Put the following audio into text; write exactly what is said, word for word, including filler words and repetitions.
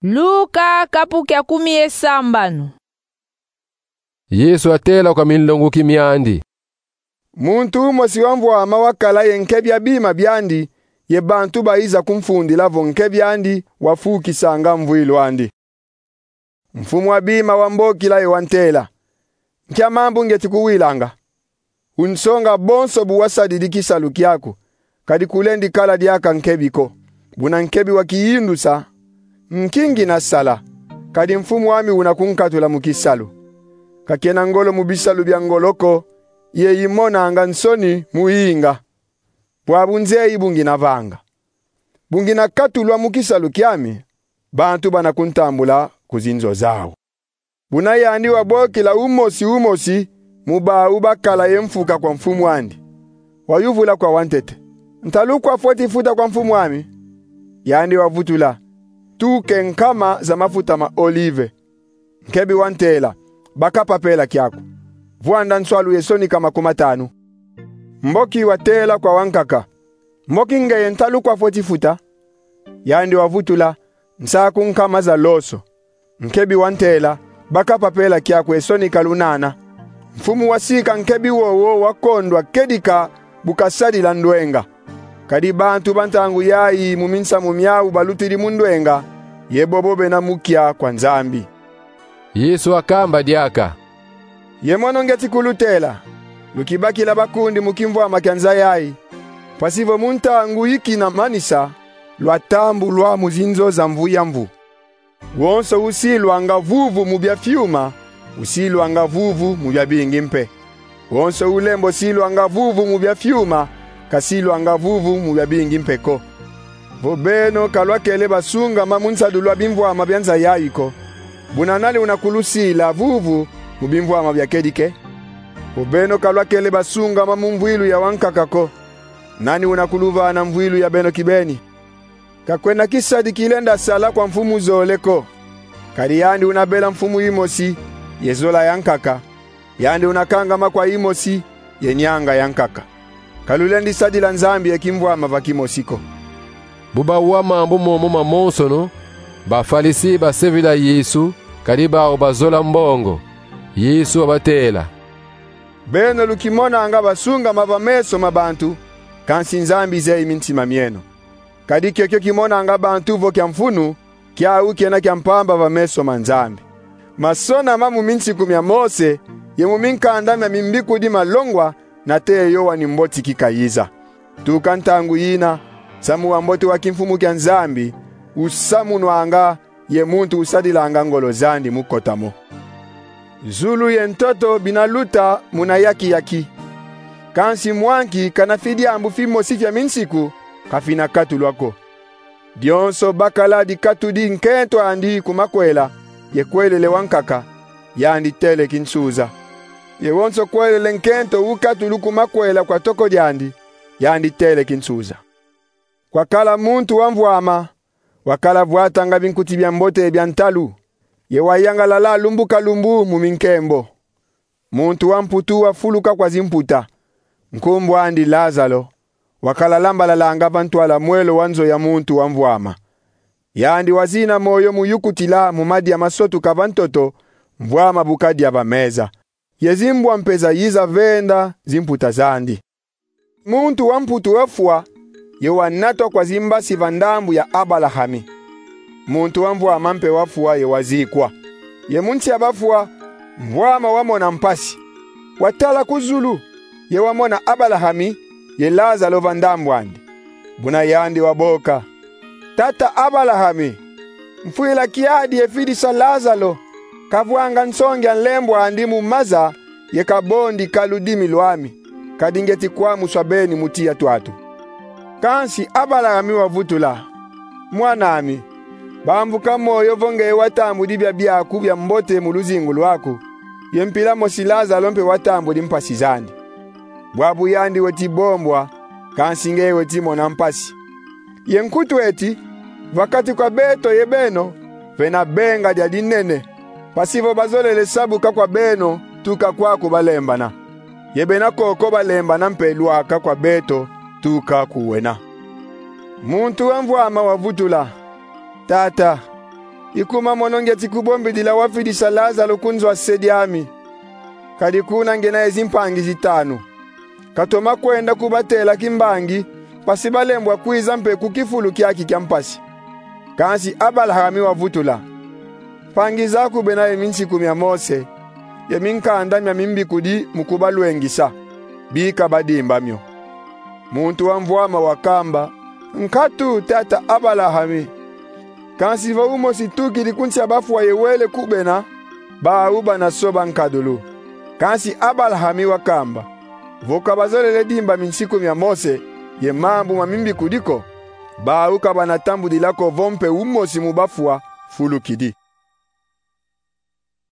Luka kapu kia kumi ye sambanu. Yesu atela kwa minlonguki miandi: Muntu umosi wa mvwama wakala ye nkebi a bima biandi, ye bantu bayiza kumfundila vo nkebi andi wafukisanga mvwilu andi. Mfumu a bima wambokila ye wantela: Nkia mambu ngeti kuwilanga? Unsonga bonso bu wasadidi kisalu kiaku, kadi kulendi kala diaka nkebi ko. Buna nkebi wakiyindusa: Nki ngina sala, kadi mfumu ami una kunkatula mu kisalu? Kakena ngolo mu bisalu bia ngolo ko, ye imonanga nsoni mu yinga. Bwabu nzeyi bu ngina vanga. Bu ngina katulwa mu kisalu kiami, bantu bana kuntambula ku zinzo zau. Buna yandi wabokila umosi umosi mu bau bakala ye mfuka kwa mfumu andi. Wayuvula kwa wantete: Ntalu kwa fweti futa kwa mfumu ami? Yandi wavutula: Tuke nkama za mafuta ma olive. Nkebi wantela: Baka papela kiaku. Vwanda nswalu ye sonika makumatanu. Mboki watela kwa wankaka: Mboki ngeye, ntalu kwa fweti futa? Yandi wavutula: Nsaku nkama za loso. Nkebi wantela: Baka papela kiaku ye sonika lunana. Mfumu wasika nkebi wowo wakondwa kedika bu kasadila ndwenga. Kadi bantu ba ntangu yayi mu minsamu miau balutidi mu ndwenga, ye bobo bena mukia kwa Nzambi. Yesu akamba diaka: Ye mono ngeti kulutela: lukibakila bakundi mu kimvwama kia nza yayi, mpasi vo mu ntangu ikina manisa lwatambulwa mu zinzo za Mvu ya Mvu. Wonso usilwanga vuvu mu bia fiuma, usilwanga vuvu mu bia bingi mpe. Wonso ulembo silwanga vuvu mu bia fiuma, kasilwanga vuvu mu bia bingi mpe ko. Vo beno ka lwakele basungama mu nsadulu a bimvwama bia nza yayi ko, buna nani una kulusila vuvu mu bimvwama bia kedike? Vo beno ka lwakele basungama mu mvwilu ya wankaka ko, nani una kuluvana mvwilu ya beno kibeni? Ka kwena kisadi kilenda sala kwa mfumu zole ko. Kadi yandi una bela mfumu imosi ye zola ya nkaka, yandi una kangama kwa imosi ye nianga ya nkaka. Ka lulendi sadila Nzambi ye kimvwama va kimosi ko. Bu bawa mambu momo mamonsono, Bafalisi basevila Yesu, kadi bau bazola mbongo. Yesu wabatela: Beno lukimonanga basungama va meso ma bantu, kansi Nzambi zeyi mintima mieno. Kadi kiokio kimonanga bantu vo kia mfunu, kiau kena kia mpamba va meso ma Nzambi. Masona ma mu minsiku mia Mose ye mu minkanda mia mimbikudi malongwa nate Yoani Mbotiki kayiza. Tuka ntangu yina, nsamu wa mbote wa kimfumu kia Nzambi usamunwanga, ye muntu usadilanga ngolo zandi mu kota mo. Zulu ye ntoto bina luta muna yaki-yaki. Kansi mwanki kana fi diambu fimosi fia minsiku ka fina katulwa ko. Dionso bakala dikatudi nkento andi ku makwela, ye kwelele wankaka, yandi tele kinsuza. Ye wonso kwelele nkento ukatulu ku makwela kwa toko diandi, yandi tele kinsuza. Kwakala muntu wa mvwama, wakala vwatanga binkuti bia mbote bia ntalu, ye wayangalala lumbu ka lumbu mu minkembo. Muntu wa mputu wafuluka kwa zimputa, nkumbu andi Lazalo, wakala lambalalanga va ntwala mwelo wa nzo ya muntu wa mvwama. Yandi wazina moyo mu yukutila mu madia masotuka va ntoto, mvwama bu kadia va meza, ye zimbwa mpe zayiza venda zimputa zandi. Muntu wa mputu wafwa, ye wanatwa kwa zimbasi va ndambu ya Abalahami. Muntu wa mvwama mpe wafwa ye wazikwa. Ye mu nsi a bafwa, mvwama wamona mpasi. Watala ku zulu, ye wamona Abalahami ye Lazalo va ndambu andi. Buna yandi waboka: Tata Abalahami, mfwila kiadi ye fidisa Lazalo, kavwanga nsongi a nlembo andi mu maza, ye kabondika ludimi lwami, kadi ngeti kwamuswa beni mu tiya twatu. Kansi Abalahami wavutula: Mwan'ami, bambuka moyo vo ngeye watambudi bia biaku bia mbote mu luzingu lwaku, ye mpila mosi Lazalo mpe watambudi mpasi zandi. Bwabu yandi weti bombwa, kansi ngeye weti mona mpasi. Ye nkutu eti, va kati kwa beto ye beno, vena benga dia dinene, mpasi vo bazolele sabuka kwa beno tuka kwaku balembana, ye bena koko balembana mpe lwaka kwa beto tuka ku wena. Muntu wa mvwama wavutula: Tata, I kuma mono ngieti kubombidila wafidisa Lazalo ku nzo a se diami. Kadi kuna ngiena ye zimpangi zitanu. Katoma kwenda kubatela kimbangi, mpasi balembwa kwiza mpe ku kifulu kiaki kia mpasi. Kansi Abalahami wavutula: Mpangi zaku bena ye minsiku mia Mose, ye minkanda mia mimbikudi mu kubalwengisa. Bika badimba mio. Muntu wa mvwama wakamba: Nkatu, tata Abalahami. Kansi vo umosi tukidi ku nsi a bafwa ye wele ku bena, bau bana soba nkadulu. Kansi Abalahami wakamba: Vo ka bazolele dimba minsiku mia Mose, ye mambu ma mimbikudi ko, bau ka bana tambudila ko vo mpe umosi mu bafwa fulukidi.